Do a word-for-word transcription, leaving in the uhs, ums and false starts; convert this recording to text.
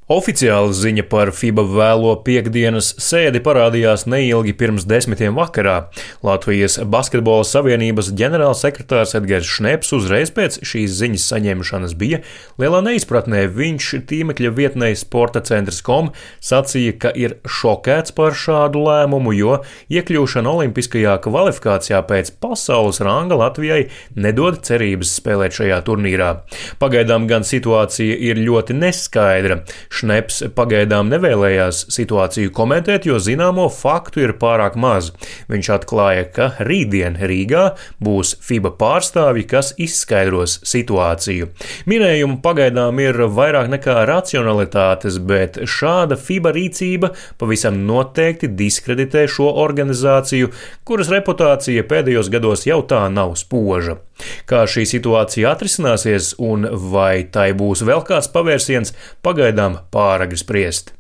Oficiāla ziņa par FIBA vēlo piektdienas sēdi parādījās neilgi pirms desmitiem vakarā. Latvijas Basketbola Savienības ģenerālsekretārs Edgars Šneps uzreiz pēc šīs ziņas saņemšanas bija lielā neizpratnē. Viņš tīmekļa vietnē sporta centrs punkt com sacīja, ka ir šokēts par šādu lēmumu, jo iekļūšana olimpiskajā kvalifikācijā pēc pasaules ranga Latvijai nedod cerības spēlēt šajā turnīrā. Pagaidām gan situācija ir ļoti neskaidra. Šneps pagaidām nevēlējās situāciju komentēt, jo zināmo faktu ir pārāk maz. Viņš atklāja, ka rītdien Rīgā būs FIBA pārstāvji, kas izskaidros situāciju. Minējumu pagaidām ir vairāk nekā racionalitātes, bet šāda FIBA rīcība pavisam noteikti diskreditē šo organizāciju, kuras reputācija pēdējos gados jau tā nav spoža. Kā šī situācija atrisināsies un vai tai būs vēl kāds pavērsiens, pagaidām pāragri spriest.